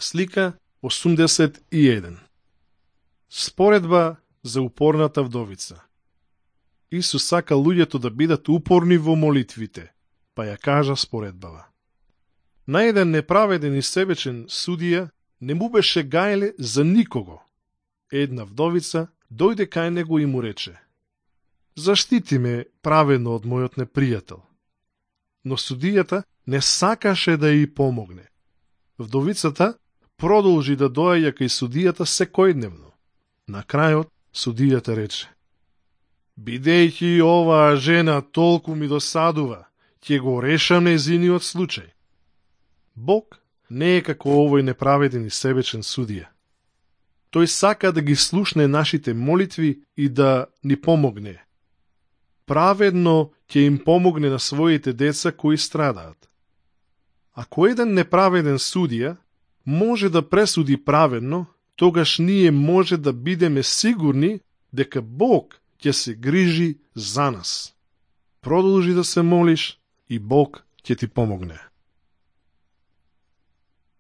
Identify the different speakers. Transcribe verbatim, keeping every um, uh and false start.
Speaker 1: Слика осумдесет и еден. Споредба за упорната вдовица. Исус сака луѓето да бидат упорни во молитвите, па ја кажа споредбава. На еден неправеден и себечен судија не му беше гајле за никого. Една вдовица дојде кај него и му рече: заштити ме праведно од мојот непријател. Но судијата не сакаше да ја помогне. Вдовицата продолжи да доаѓа кај судијата секојдневно. На крајот судијата рече: бидејќи оваа жена толку ми досадува, ќе го решам нејзиниот случај. Бог не е како овој неправеден и себечен судија. Тој сака да ги слушне нашите молитви и да ни помогне. Праведно ќе им помогне на своите деца кои страдаат. Ако еден неправеден судија може да пресуди праведно, тогаш ние може да бидеме сигурни дека Бог ќе се грижи за нас. Продолжи да се молиш и Бог ќе ти помогне.